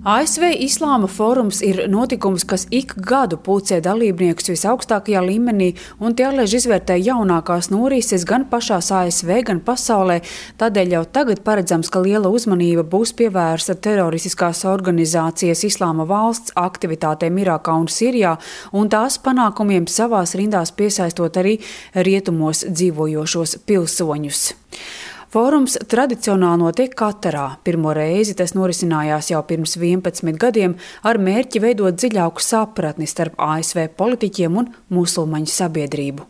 ASV Islāma fórums ir notikums, kas ik gadu pulcē dalībniekus visaugstākajā līmenī un tie allaž izvērtē jaunākās norises gan pašās ASV, gan pasaulē. Tādēļ jau tagad paredzams, ka liela uzmanība būs pievērsta teroristiskās organizācijas Islāma valsts aktivitātēm Irākā un Sirijā un tās panākumiem savās rindās piesaistot arī rietumos dzīvojošos pilsoņus. Fórums tradicionāli notiek Katarā. Pirmo reizi tas norisinājās jau pirms 11 gadiem ar mērķi veidot dziļāku sapratni starp ASV politiķiem un musulmaņu sabiedrību.